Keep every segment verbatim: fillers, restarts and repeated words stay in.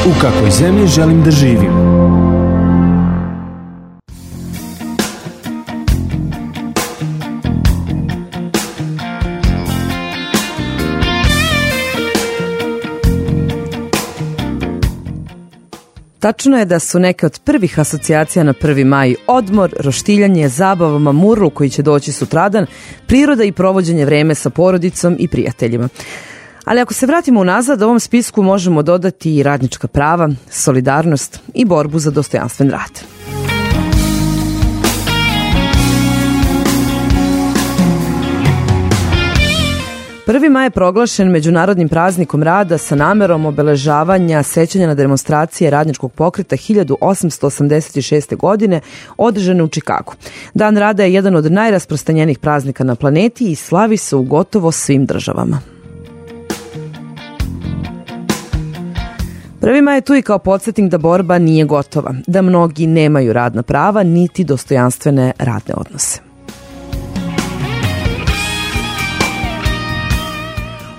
U kakvoj zemlji želim da živim? Tačno je da su neke od prvih asocijacija na prvi maj odmor, roštiljanje, zabava, mamurlu koji će doći sutradan, priroda i provođenje vreme sa porodicom i prijateljima. Ali ako se vratimo unazad, ovom spisku možemo dodati i radnička prava, solidarnost i borbu za dostojanstven rad. prvi maj je proglašen međunarodnim praznikom rada sa namerom obeležavanja sećanja na demonstracije radničkog pokreta hiljadu osamsto osamdeset šeste. godine održane u Čikagu. Dan rada je jedan od najrasprostranjenijih praznika na planeti i slavi se u gotovo svim državama. prvi maj je tu i kao podsjetnik da borba nije gotova, da mnogi nemaju radna prava niti dostojanstvene radne odnose.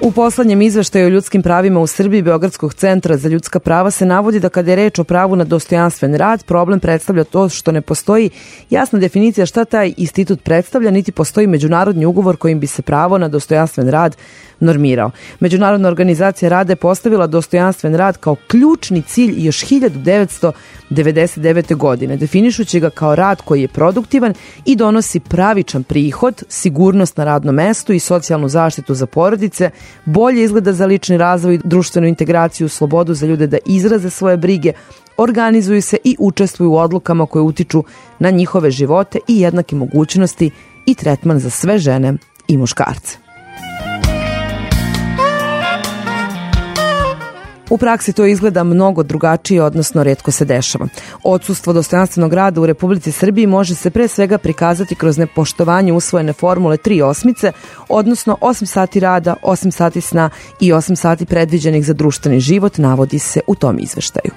U poslednjem izveštaju o ljudskim pravima u Srbiji Beogradskog centra za ljudska prava se navodi da kada je reč o pravu na dostojanstven rad, problem predstavlja to što ne postoji jasna definicija šta taj institut predstavlja, niti postoji međunarodni ugovor kojim bi se pravo na dostojanstven rad normirao. Međunarodna organizacija rada je postavila dostojanstven rad kao ključni cilj još hiljadu devetsto devedeset devete. godine, definišući ga kao rad koji je produktivan i donosi pravičan prihod, sigurnost na radnom mestu i socijalnu zaštitu za porodice, bolje izgleda za lični razvoj, društvenu integraciju, slobodu za ljude da izraze svoje brige, organizuju se i učestvuju u odlukama koje utiču na njihove živote i jednake mogućnosti i tretman za sve žene i muškarce. U praksi to izgleda mnogo drugačije, odnosno retko se dešava. Odsustvo dostojanstvenog rada u Republici Srbiji može se pre svega prikazati kroz nepoštovanje usvojene formule tri osmice, odnosno osam sati rada, osam sati sna i osam sati predviđenih za društveni život, navodi se u tom izveštaju.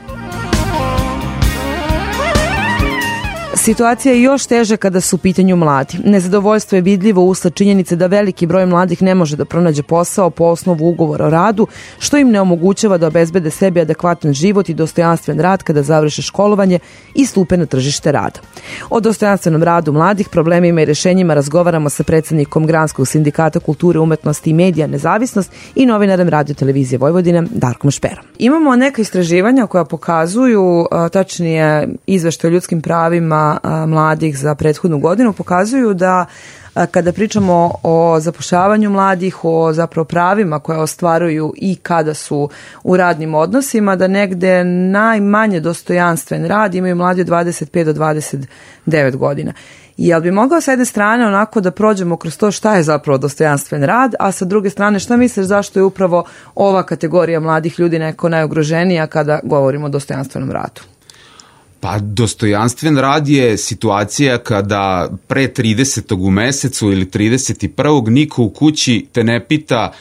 Situacija je još teže kada su u pitanju mladi. Nezadovoljstvo je vidljivo usled činjenice da veliki broj mladih ne može da pronađe posao po osnovu ugovora o radu, što im ne omogućava da obezbede sebi adekvatan život i dostojanstven rad kada završe školovanje i stupe na tržište rada. O dostojanstvenom radu mladih, problemima i rešenjima razgovaramo sa predsednikom Granskog sindikata kulture, umetnosti i medija Nezavisnost i novinarem Radio televizije Vojvodine Darkom Šperom. Imamo neka istraživanja koja pokazuju, tačnije izveštaj o ljudskim pravima mladih za prethodnu godinu, pokazuju da kada pričamo o zapošljavanju mladih, o zapravo pravima koje ostvaruju i kada su u radnim odnosima, da negde najmanje dostojanstven rad imaju mladi od dvadeset pet do dvadeset devet godina. Jel bi mogao sa jedne strane onako da prođemo kroz to šta je zapravo dostojanstven rad, a sa druge strane šta misliš zašto je upravo ova kategorija mladih ljudi neko najugroženija kada govorimo o dostojanstvenom radu? Pa dostojanstven rad je situacija kada pre tridesetog u mesecu ili trideset prvog niko u kući te ne pita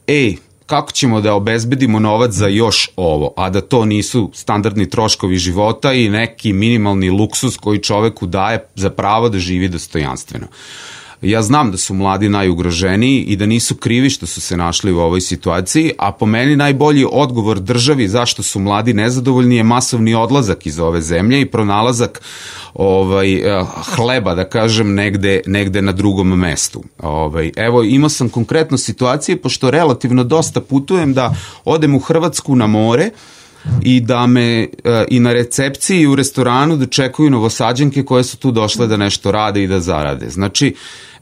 ej, kako ćemo da obezbedimo novac za još ovo, a da to nisu standardni troškovi života i neki minimalni luksuz koji čoveku daje za pravo da živi dostojanstveno. Ja znam da su mladi najugroženiji i da nisu krivi što su se našli u ovoj situaciji, a po meni najbolji odgovor državi zašto su mladi nezadovoljni je masovni odlazak iz ove zemlje i pronalazak ovaj, hleba, da kažem, negde, negde na drugom mestu. Ovaj, evo, imao sam konkretno situacije, pošto relativno dosta putujem, da odem u Hrvatsku na more i da me i na recepciji i u restoranu dočekuju Novosađanke koje su tu došle da nešto rade i da zarade. Znači,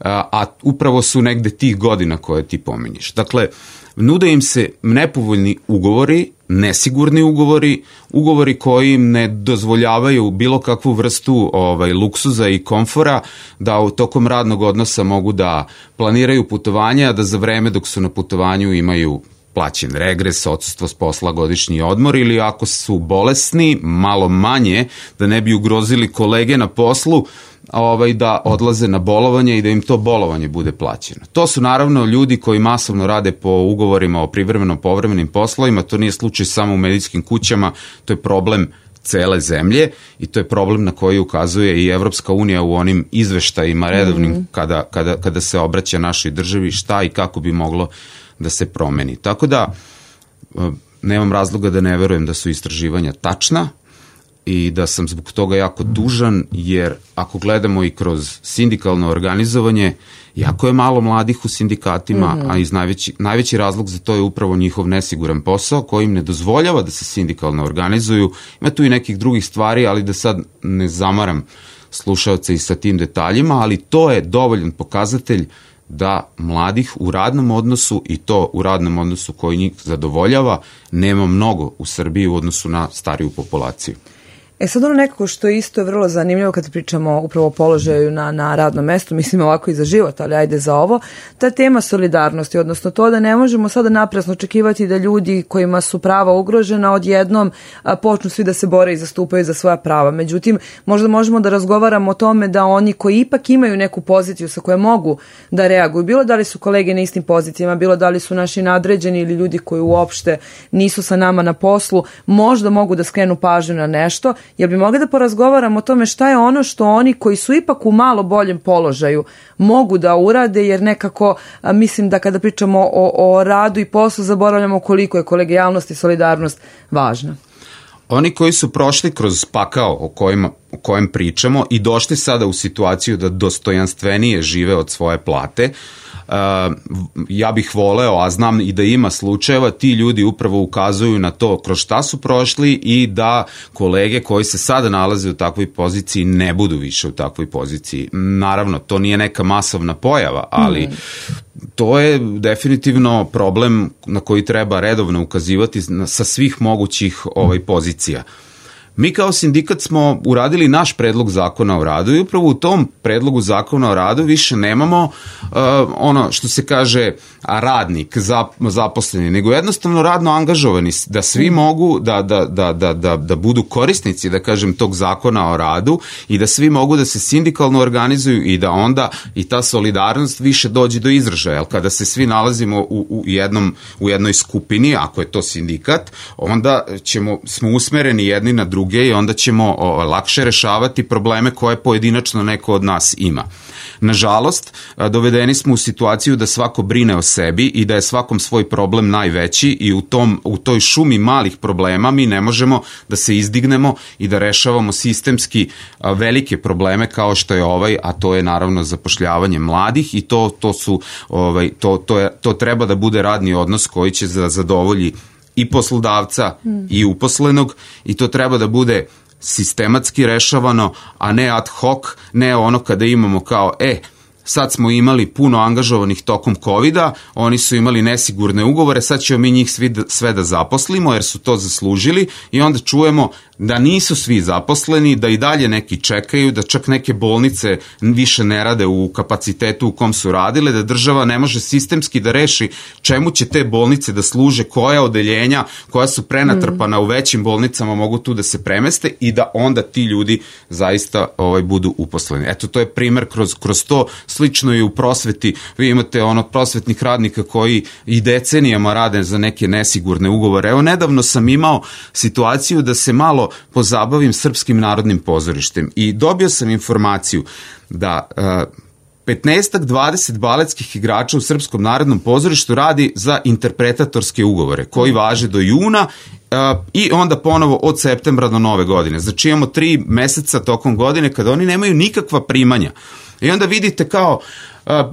a upravo su negde tih godina koje ti pominješ. Dakle, nude im se nepovoljni ugovori, nesigurni ugovori, ugovori koji im ne dozvoljavaju bilo kakvu vrstu ovaj, luksuza i komfora, da u tokom radnog odnosa mogu da planiraju putovanja, a da za vreme dok su na putovanju imaju plaćen regres, odsustvo s posla, godišnji odmor, ili ako su bolesni, malo manje, da ne bi ugrozili kolege na poslu, ovaj, da odlaze na bolovanje i da im to bolovanje bude plaćeno. To su naravno ljudi koji masovno rade po ugovorima o privremenom povremenim poslovima, to nije slučaj samo u medijskim kućama, to je problem cele zemlje i to je problem na koji ukazuje i Evropska unija u onim izveštajima redovnim mm. kada, kada, kada se obraća našoj državi šta i kako bi moglo da se promeni. Tako da nemam razloga da ne verujem da su istraživanja tačna i da sam zbog toga jako tužan, jer ako gledamo i kroz sindikalno organizovanje, jako je malo mladih u sindikatima, mm-hmm. a iz najveći, najveći razlog za to je upravo njihov nesiguran posao koji im ne dozvoljava da se sindikalno organizuju. Ima tu i nekih drugih stvari, ali da sad ne zamaram slušaoce i sa tim detaljima, ali to je dovoljan pokazatelj da mladih u radnom odnosu, i to u radnom odnosu koji njih zadovoljava, nema mnogo u Srbiji u odnosu na stariju populaciju. E sad ono nekako što je isto vrlo zanimljivo kad pričamo upravo o položaju na, na radnom mestu, mislim ovako i za život, ali ajde za ovo, ta tema solidarnosti, odnosno to da ne možemo sada naprasno očekivati da ljudi kojima su prava ugrožena odjednom a, počnu svi da se bore i zastupaju za svoja prava. Međutim, možda možemo da razgovaramo o tome da oni koji ipak imaju neku poziciju sa koje mogu da reaguju, bilo da li su kolege na istim pozicijama, bilo da li su naši nadređeni ili ljudi koji uopšte nisu sa nama na poslu, možda mogu da skrenu pažnju na nešto. Jel bi mogli da porazgovaramo o tome šta je ono što oni koji su ipak u malo boljem položaju mogu da urade, jer nekako a, mislim da kada pričamo o, o radu i poslu zaboravljamo koliko je kolegijalnost i solidarnost važna. Oni koji su prošli kroz pakao o kojem, o kojem pričamo i došli sada u situaciju da dostojanstvenije žive od svoje plate, Uh, ja bih voleo, a znam i da ima slučajeva, ti ljudi upravo ukazuju na to kroz šta su prošli i da kolege koji se sada nalaze u takvoj poziciji ne budu više u takvoj poziciji. Naravno, to nije neka masovna pojava, ali mm. to je definitivno problem na koji treba redovno ukazivati sa svih mogućih ovaj, pozicija. Mi kao sindikat smo uradili naš predlog zakona o radu i upravo u tom predlogu zakona o radu više nemamo uh, ono što se kaže radnik, zap, zaposleni, nego jednostavno radno angažovani, da svi mogu da, da, da, da, da, da budu korisnici, da kažem, tog zakona o radu i da svi mogu da se sindikalno organizuju i da onda i ta solidarnost više dođe do izražaja. Jer kada se svi nalazimo u, u, jednom, u jednoj skupini, ako je to sindikat, onda ćemo, smo usmereni jedni na drugi i onda ćemo o, lakše rešavati probleme koje pojedinačno neko od nas ima. Nažalost, dovedeni smo u situaciju da svako brine o sebi i da je svakom svoj problem najveći i u, tom, u toj šumi malih problema mi ne možemo da se izdignemo i da rešavamo sistemski velike probleme kao što je ovaj, a to je naravno zapošljavanje mladih i to, to, su, ovaj, to, to, je, to treba da bude radni odnos koji će da zadovolji i poslodavca mm. i uposlenog i to treba da bude sistematski rešavano, a ne ad hoc, ne ono kada imamo kao, e, sad smo imali puno angažovanih tokom kovida, oni su imali nesigurne ugovore, sad ćemo mi njih svi da, sve da zaposlimo jer su to zaslužili i onda čujemo da nisu svi zaposleni, da i dalje neki čekaju, da čak neke bolnice više ne rade u kapacitetu u kom su radile, da država ne može sistemski da reši čemu će te bolnice da služe, koja odeljenja, koja su prenatrpana mm. u većim bolnicama mogu tu da se premeste i da onda ti ljudi zaista ovaj, budu uposleni. Eto, to je primer kroz, kroz to. Slično i u prosveti, vi imate ono prosvetnih radnika koji i decenijama rade za neke nesigurne ugovore. Evo, nedavno sam imao situaciju da se malo pozabavim Srpskim narodnim pozorištem i dobio sam informaciju da uh, petnaestak dvadeset baletskih igrača u Srpskom narodnom pozorištu radi za interpretatorske ugovore koji važe do juna uh, i onda ponovo od septembra do nove godine. Znači imamo tri meseca tokom godine kada oni nemaju nikakva primanja. I onda vidite kao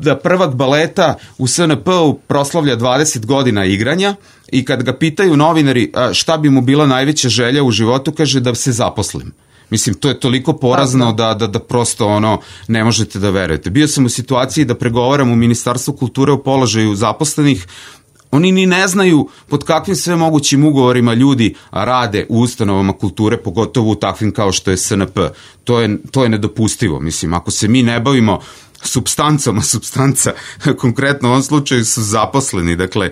da prvak baleta u S N P-u proslavlja dvadeset godina igranja i kad ga pitaju novinari šta bi mu bila najveća želja u životu, kaže da se zaposlim. Mislim, to je toliko porazno da, da, da prosto ono ne možete da verujete. Bio sam u situaciji da pregovaram u Ministarstvu kulture o položaju zaposlenih. Oni ni ne znaju pod kakvim sve mogućim ugovorima ljudi rade u ustanovama kulture, pogotovo u takvim kao što je S N P. To je, to je nedopustivo. Mislim, ako se mi ne bavimo supstancom, a supstanca konkretno u ovom slučaju su zaposleni. Dakle,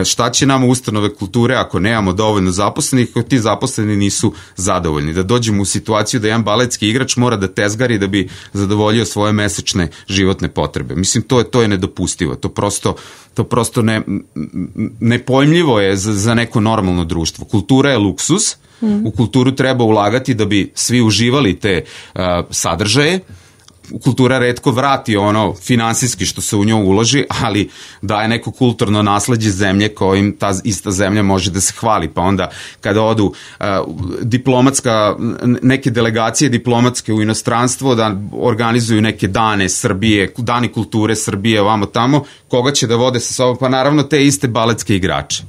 šta će nam ustanove kulture ako nemamo dovoljno zaposlenih, ako ti zaposleni nisu zadovoljni? Da dođemo u situaciju da jedan baletski igrač mora da tezgari da bi zadovoljio svoje mesečne životne potrebe. Mislim, to je, to je nedopustivo. To prosto, to prosto ne, nepojmljivo je za, za neko normalno društvo. Kultura je luksuz, mm. u kulturu treba ulagati da bi svi uživali te uh, sadržaje. Kultura retko vrati ono finansijski što se u njoj uloži, ali daje neko kulturno nasleđe zemlje kojim ta ista zemlja može da se hvali. Pa onda kada odu uh, diplomatska, neke delegacije diplomatske u inostranstvo da organizuju neke dane Srbije, dani kulture Srbije, ovamo tamo, koga će da vode sa sobom? Pa naravno te iste baletske igrače.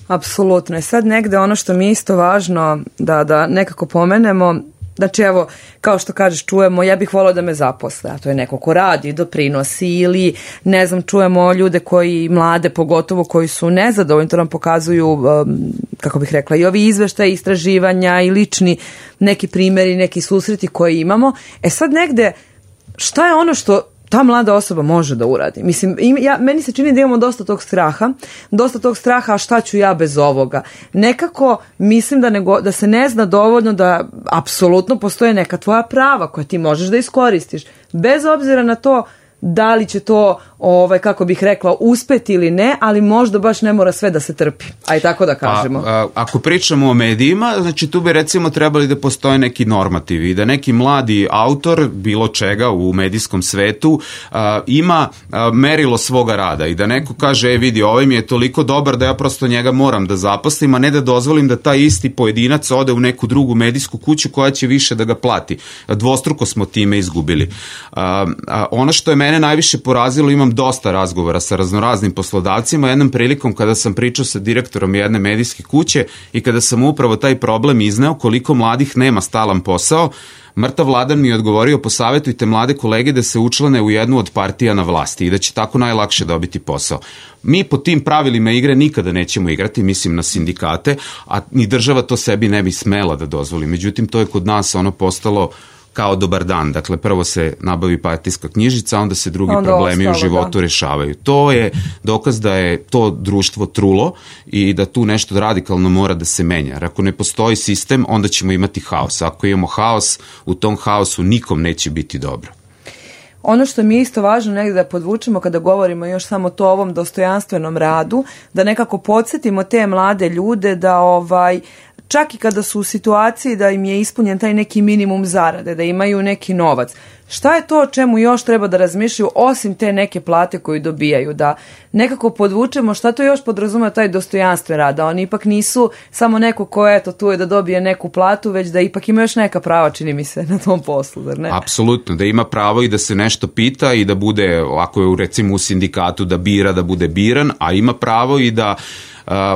Apsolutno. I sad negde ono što mi je isto važno da, da nekako pomenemo, znači evo, kao što kažeš, čujemo, ja bih volao da me zaposle, a to je neko ko radi, doprinosi ili, ne znam, čujemo ljude koji, mlade pogotovo, koji su nezadovoljni, to nam pokazuju, um, kako bih rekla, i ovi izveštaji, istraživanja i lični neki primjeri, neki susreti koji imamo. E sad negde, šta je ono što ta mlada osoba može da uradi? Mislim, ja, meni se čini da imamo dosta tog straha, dosta tog straha, a šta ću ja bez ovoga? Nekako mislim da, nego, da se ne zna dovoljno da apsolutno postoje neka tvoja prava koja ti možeš da iskoristiš. Bez obzira na to da li će to, ovaj, kako bih rekla, uspeti ili ne, ali možda baš ne mora sve da se trpi. Aj tako da kažemo. Pa, a, ako pričamo o medijima, znači tu bi recimo trebali da postoje neki normativi i da neki mladi autor bilo čega u medijskom svetu a, ima a, merilo svoga rada i da neko kaže, e vidi, ovaj mi je toliko dobar da ja prosto njega moram da zaposlim, a ne da dozvolim da taj isti pojedinac ode u neku drugu medijsku kuću koja će više da ga plati. Dvostruko smo time izgubili. A, a, ono što je mene najviše porazilo, imam dosta razgovora sa raznoraznim poslodavcima, jednom prilikom kada sam pričao sa direktorom jedne medijske kuće i kada sam upravo taj problem izneo koliko mladih nema stalan posao, mrtav Vladan mi je odgovorio, posavjetujte mlade kolege da se učlane u jednu od partija na vlasti i da će tako najlakše dobiti posao. Mi po tim pravilima igre nikada nećemo igrati, mislim na sindikate, a ni država to sebi ne bi smela da dozvoli. Međutim, to je kod nas ono postalo kao dobar dan. Dakle, prvo se nabavi partijska knjižica, onda se drugi onda problemi ostalo, u životu da. rešavaju. To je dokaz da je to društvo trulo i da tu nešto radikalno mora da se menja. Jer ako ne postoji sistem, onda ćemo imati haos. Ako imamo haos, u tom haosu nikom neće biti dobro. Ono što mi je isto važno negdje da podvučemo kada govorimo još samo to o ovom dostojanstvenom radu, da nekako podsjetimo te mlade ljude da ovaj čak i kada su u situaciji da im je ispunjen taj neki minimum zarade, da imaju neki novac. Šta je to o čemu još treba da razmišljaju osim te neke plate koju dobijaju? Da nekako podvučemo šta to još podrazumeva taj dostojanstven rad, da oni ipak nisu samo neko ko eto tu je da dobije neku platu, već da ipak ima još neka prava, čini mi se, na tom poslu, zar ne? Apsolutno, da ima pravo i da se nešto pita i da bude, ako je recimo u sindikatu, da bira, da bude biran, a ima pravo i da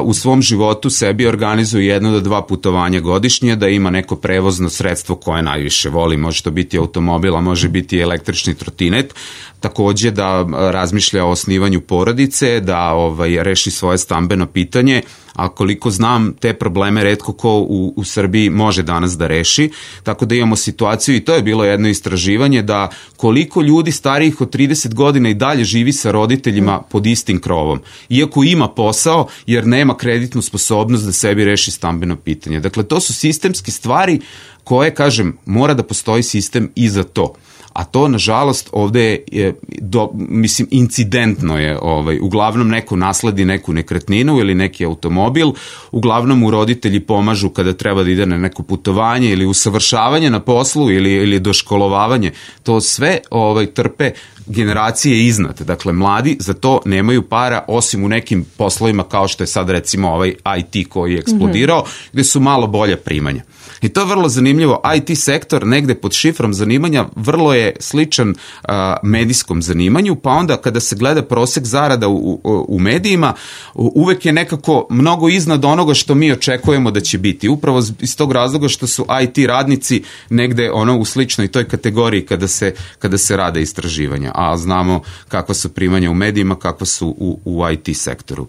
u svom životu sebi organizuje jedno do dva putovanja godišnje, da ima neko prevozno sredstvo koje najviše voli, može to biti automobil, a može biti električni trotinet, takođe da razmišlja o osnivanju porodice, da ovaj, reši svoje stambeno pitanje, a koliko znam, te probleme retko ko u, u Srbiji može danas da reši, tako da imamo situaciju, i to je bilo jedno istraživanje, da koliko ljudi starijih od trideset godina i dalje živi sa roditeljima pod istim krovom, iako ima posao, jer nema kreditnu sposobnost da sebi reši stambeno pitanje. Dakle, to su sistemske stvari koje, kažem, mora da postoji sistem i za to. A to, nažalost, ovde je, do, mislim, incidentno je, ovaj, uglavnom neko nasledi neku nekretninu ili neki automobil, uglavnom mu roditelji pomažu kada treba da ide na neko putovanje ili usavršavanje na poslu ili, ili doškolovavanje. To sve ovaj, trpe generacije iznad. Dakle, mladi za to nemaju para, osim u nekim poslovima kao što je sad recimo ovaj I T koji je eksplodirao, mm-hmm. gde su malo bolja primanja. I to je vrlo zanimljivo. I T sektor negde pod šifrom zanimanja vrlo je sličan uh, medijskom zanimanju, pa onda kada se gleda prosek zarada u, u, u medijima, uvek je nekako mnogo iznad onoga što mi očekujemo da će biti. Upravo iz tog razloga što su I T radnici negde ono u sličnoj toj kategoriji kada se, kada se rade istraživanja, a znamo kakva su primanja u medijima, kakva su u, u I T sektoru.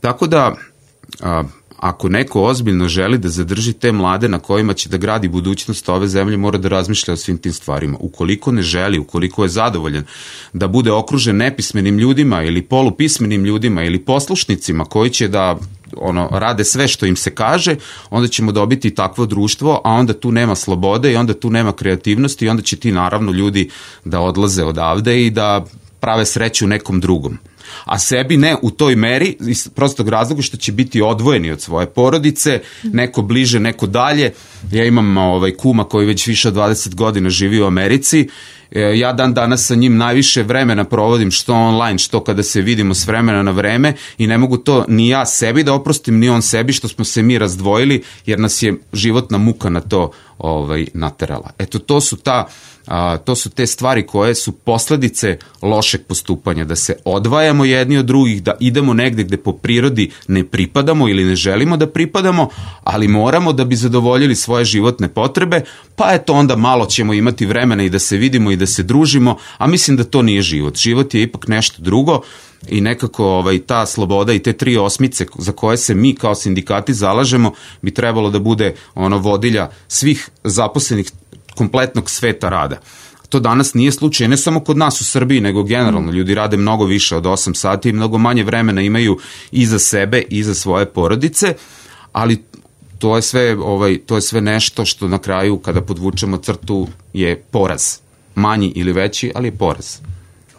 Tako da, uh, ako neko ozbiljno želi da zadrži te mlade na kojima će da gradi budućnost ove zemlje, mora da razmišlja o svim tim stvarima. Ukoliko ne želi, ukoliko je zadovoljan da bude okružen nepismenim ljudima ili polupismenim ljudima ili poslušnicima koji će da ono, rade sve što im se kaže, onda ćemo dobiti takvo društvo, a onda tu nema slobode i onda tu nema kreativnosti i onda će ti naravno ljudi da odlaze odavde i da prave sreću nekom drugom. A sebi ne u toj meri, iz prostog razloga što će biti odvojeni od svoje porodice, neko bliže, neko dalje. Ja imam ovaj kuma koji već više od dvadeset godina živi u Americi. Ja dan danas sa njim najviše vremena provodim što online, što kada se vidimo s vremena na vreme i ne mogu to ni ja sebi da oprostim, ni on sebi što smo se mi razdvojili, jer nas je životna muka na to ovaj, naterala. Eto, to su ta A, to su te stvari koje su posledice lošeg postupanja, da se odvajamo jedni od drugih, da idemo negde gde po prirodi ne pripadamo ili ne želimo da pripadamo, ali moramo da bi zadovoljili svoje životne potrebe, pa eto onda malo ćemo imati vremena i da se vidimo i da se družimo, a mislim da to nije život. Život je ipak nešto drugo i nekako ovaj, ta sloboda i te tri osmice za koje se mi kao sindikati zalažemo bi trebalo da bude ono vodilja svih zaposlenih kompletnog sveta rada. To danas nije slučaj, ne samo kod nas u Srbiji, nego generalno. Ljudi rade mnogo više od osam sati i mnogo manje vremena imaju i za sebe i za svoje porodice, ali to je sve, ovaj, to je sve nešto što na kraju, kada podvučemo crtu, je poraz. Manji ili veći, ali je poraz.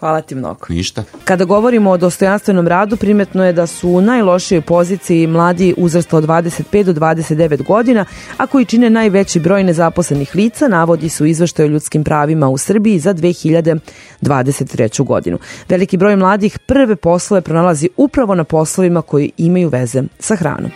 Hvala ti mnogo. Ništa. Kada govorimo o dostojanstvenom radu, primetno je da su u najlošijoj poziciji mladi uzrasta od dvadeset pet do dvadeset devet godina, a koji čine najveći broj nezaposlenih lica, navodi su izveštaj o ljudskim pravima u Srbiji za dve hiljade dvadeset treću godinu. Veliki broj mladih prve poslove pronalazi upravo na poslovima koji imaju veze sa hranom.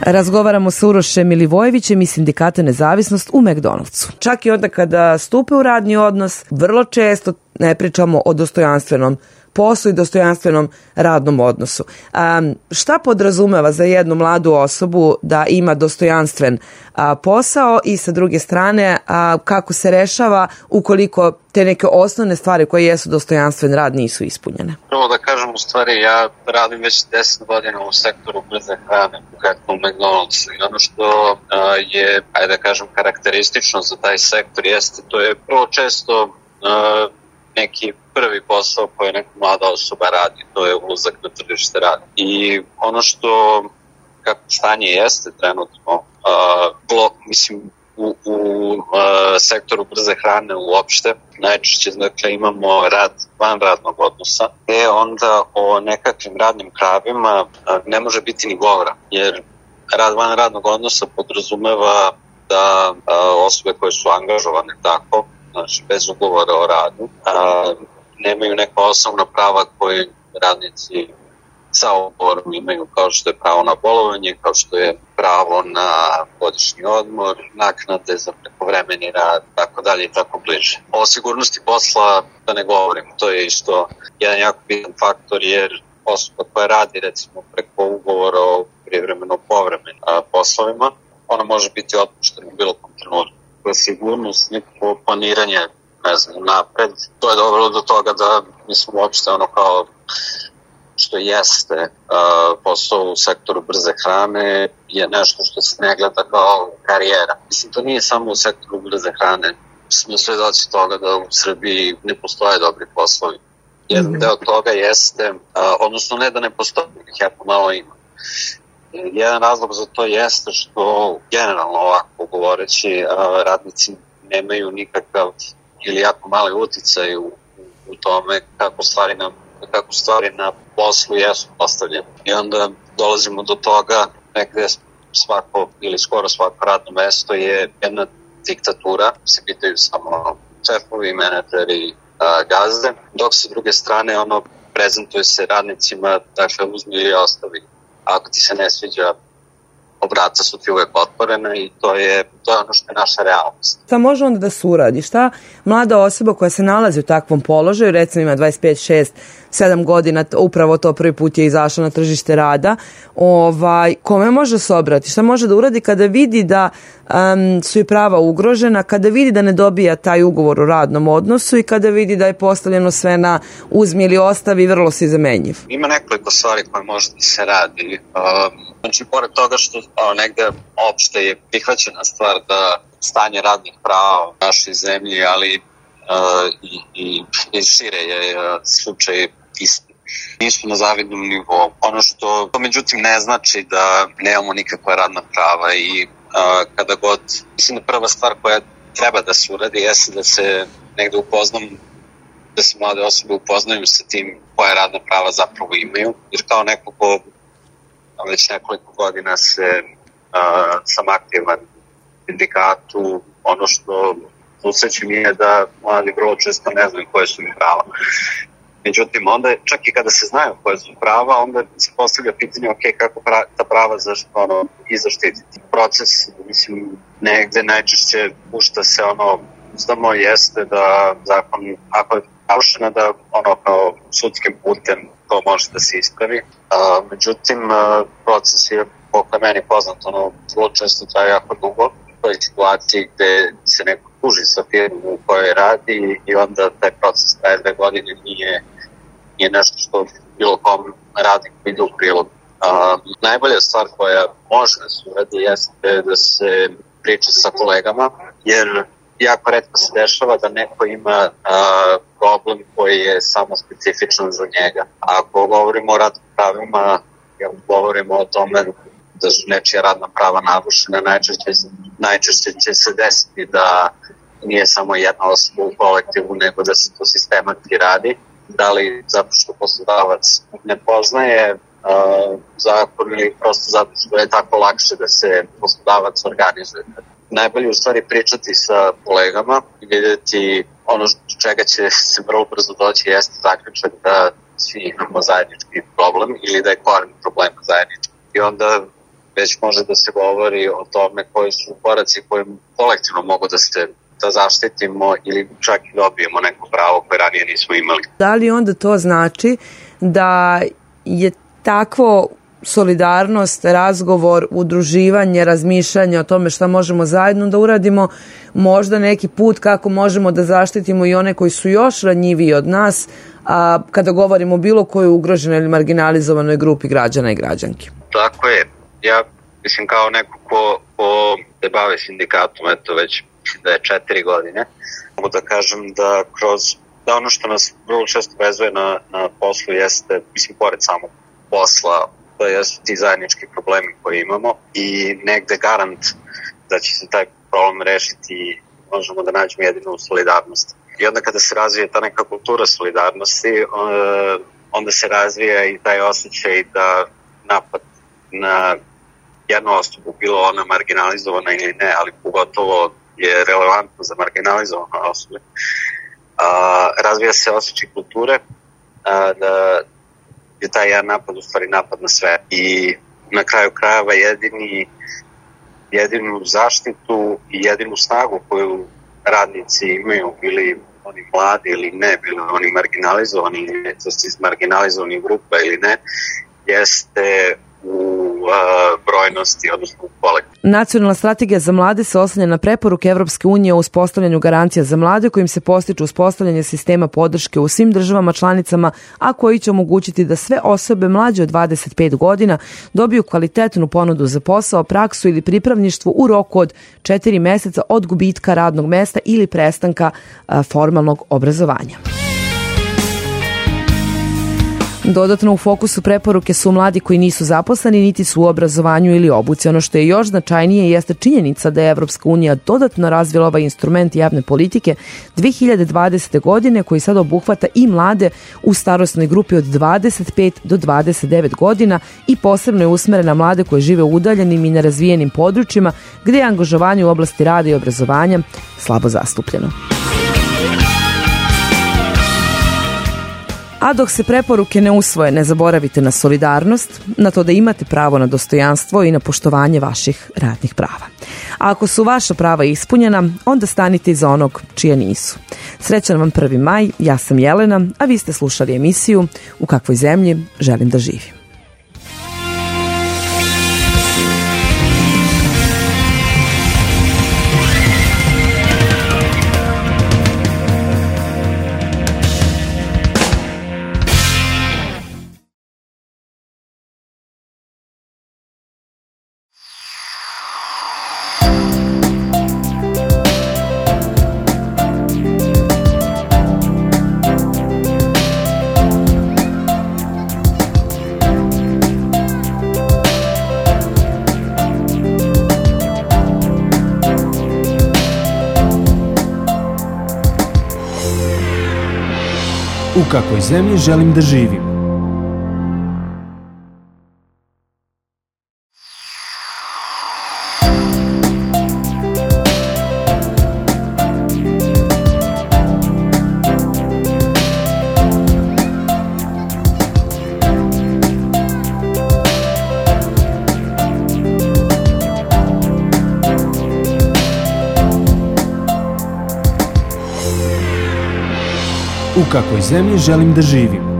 Razgovaramo sa Urošem Milivojevićem iz sindikata Nezavisnost u McDonald'su. Čak i onda kada stupe u radni odnos, vrlo često ne pričamo o dostojanstvenom poslu i dostojanstvenom radnom odnosu. A, šta podrazumeva za jednu mladu osobu da ima dostojanstven a, posao i sa druge strane a, kako se rešava ukoliko te neke osnovne stvari koje jesu dostojanstven rad nisu ispunjene? Prvo da kažem, u stvari ja radim već deset godina u sektoru brze hrane, konkretno u McDonald'su, i ono što a, je, ajde da kažem, karakteristično za taj sektor jeste, to je prvo često a, neki prvi posao koji neka mlada osoba radi, to je ulazak na tržište rada. I ono što, kako stanje jeste trenutno, uh, blok, mislim, u, u uh, sektoru brze hrane uopšte, najčešće dakle, imamo rad van radnog odnosa, gde onda o nekakvim radnim pravima uh, ne može biti ni govora, jer rad van radnog odnosa podrazumeva da uh, osobe koje su angažovane tako, znači bez ugovora o radu, a, nemaju neka osnovna prava koje radnici sa ugovorom imaju, kao što je pravo na bolovanje, kao što je pravo na godišnji odmor, naknade za prekovremeni rad, tako dalje i tako bliže. O sigurnosti posla da ne govorim, to je isto jedan jako bitan faktor, jer osoba koja radi recimo preko ugovora o privremeno povremenim poslovima, ona može biti otpuštena u bilo kom trenutku. Sigurnost, neko planiranje, ne znam, napred. To je dobro do toga da mislim uopšte ono kao što jeste uh, posao u sektoru brze hrane je nešto što se ne gleda kao karijera. Mislim, to nije samo u sektoru brze hrane. Smo sve doći toga da u Srbiji ne postoje dobri poslovi. Jedan deo toga jeste, uh, odnosno ne da ne postoje, ih jako malo ima. Jedan razlog za to jeste što generalno ovako govoreći radnici nemaju nikakav ili jako mali uticaj u, u tome kako stvari na, kako stvari na poslu jesu postavljene. I onda dolazimo do toga negde svako ili skoro svako radno mesto je jedna diktatura, se pitaju samo šefovi, menadžeri, gazde, dok sa druge strane ono prezentuje se radnicima, dakle uzmi ili ostavi. Ako ti se ne sviđa, obraca su ti uvek otvorena i to je to je ono što je naša realnost. Šta može onda da se uradi? Šta mlada osoba koja se nalazi u takvom položaju, recimo ima dvadeset pet, šest, sedam godina, upravo to prvi put je izašla na tržište rada, ovaj, kome može se obrati? Šta može da uradi kada vidi da um, su i prava ugrožena, kada vidi da ne dobija taj ugovor o radnom odnosu i kada vidi da je postavljeno sve na uzmi ili ostavi, vrlo si zamenjiv? Ima nekoliko stvari koje može da se radi. Um, znači, pored toga što o, negde opšte je prihvaćena stvar da stanje radnih prava u našoj zemlji, ali uh, i, i, i šire je uh, slučaj isti. Nismo na zavidnom nivou. Ono što to međutim ne znači da nemamo nikakva radna prava i uh, kada god, mislim da prva stvar koja treba da se uradi jeste da se negde upoznam, da se mlade osobe upoznaju sa tim koje radna prava zapravo imaju, jer kao neko ko već nekoliko godina se uh, sam aktivan u sindikatu, ono što susrećem je da mladi vrlo često ne znaju koje su mi prava. Međutim, onda čak i kada se znaju koje su prava, onda se postavlja pitanje, ok, kako pra, ta prava zašto, ono, i zaštititi. Proces, mislim, negde najčešće pušta se ono, uzdamo jeste da zakon, ako je narušena, da ono kao sudskim putem to može da se ispravi. A, međutim, a, proces je, koliko je meni poznat, ono, vrlo često traje jako dugo. U toj situaciji gde se neko tuži sa firmom u kojoj radi i onda taj proces traje dve godine nije, nije nešto što bilo kom radniku ide u prilog. A, najbolja stvar koja može da se uradi jeste da se priča sa kolegama, jer jako retko se dešava da neko ima a, problem koji je samo specifičan za njega. Ako govorimo o radnim pravima, ako govorimo o tome da su nečija radna prava narušena, najčešće, najčešće će se desiti da nije samo jedna osoba u kolektivu, nego da se to sistematski radi. Da li zato što poslodavac ne poznaje uh, zakon ili prosto zato što je tako lakše da se poslodavac organizuje. Najbolje u stvari pričati sa kolegama i vidjeti ono čega će se vrlo brzo doći jeste zaključak da svi imamo zajednički problem ili da je koren problema zajednički. I onda već može da se govori o tome koji su koraci koji kolektivno mogu da se da zaštitimo ili čak i dobijemo neko pravo koje ranije nismo imali. Da li onda to znači da je takvo solidarnost, razgovor, udruživanje, razmišljanje o tome šta možemo zajedno da uradimo, možda neki put kako možemo da zaštitimo i one koji su još ranjiviji od nas, a kada govorimo o bilo kojoj ugroženoj ili marginalizovanoj grupi građana i građanki? Tako je. Ja mislim kao neko ko, ko se bave sindikatom, eto već da je četiri godine, mogu da kažem da kroz da ono što nas vrlo često vezuje na, na poslu jeste, mislim, pored samog posla, to jesu ti zajednički problemi koje imamo i negde garant da će se taj problem rešiti, možemo da nađemo jedino u solidarnosti. I onda kada se razvije ta neka kultura solidarnosti, onda se razvija i taj osjećaj da napad na jednu osobu, bilo ona marginalizovana ili ne, ali pogotovo je relevantno za marginalizovane osobe. A, razvija se osjećaj kulture a, da je taj jedan napad u stvari napad na sve. I na kraju krajeva jedini, jedinu zaštitu i jedinu snagu koju radnici imaju, bili oni mladi ili ne, bili oni marginalizovani ili ne, to su iz marginalizovanih grupa ili ne, jeste u uh, brojnosti, odnosno u kolektivu. Nacionalna strategija za mlade se oslanja na preporuke Evropske unije o uspostavljanju garancija za mlade kojim se postiče uspostavljanje sistema podrške u svim državama članicama, a koji će omogućiti da sve osobe mlađe od dvadeset pet godina dobiju kvalitetnu ponudu za posao, praksu ili pripravništvo u roku od četiri meseca od gubitka radnog mesta ili prestanka a, formalnog obrazovanja. Dodatno u fokusu preporuke su mladi koji nisu zaposleni niti su u obrazovanju ili obuci. Ono što je još značajnije jeste činjenica da je Evropska unija dodatno razvila ovaj instrument javne politike dve hiljade dvadesete. godine koji sad obuhvata i mlade u starosnoj grupi od dvadeset pet do dvadeset devet godina i posebno je usmeren na mlade koji žive u udaljenim i nerazvijenim područjima gde je angažovanje u oblasti rada i obrazovanja slabo zastupljeno. A dok se preporuke ne usvoje, ne zaboravite na solidarnost, na to da imate pravo na dostojanstvo i na poštovanje vaših radnih prava. A ako su vaša prava ispunjena, onda stanite iza onog čija nisu. Srećan vam prvi maj, ja sam Jelena, a vi ste slušali emisiju U kakvoj zemlji želim da živim. U kakvoj zemlji želim da živim? U kakvoj zemlji želim da živim?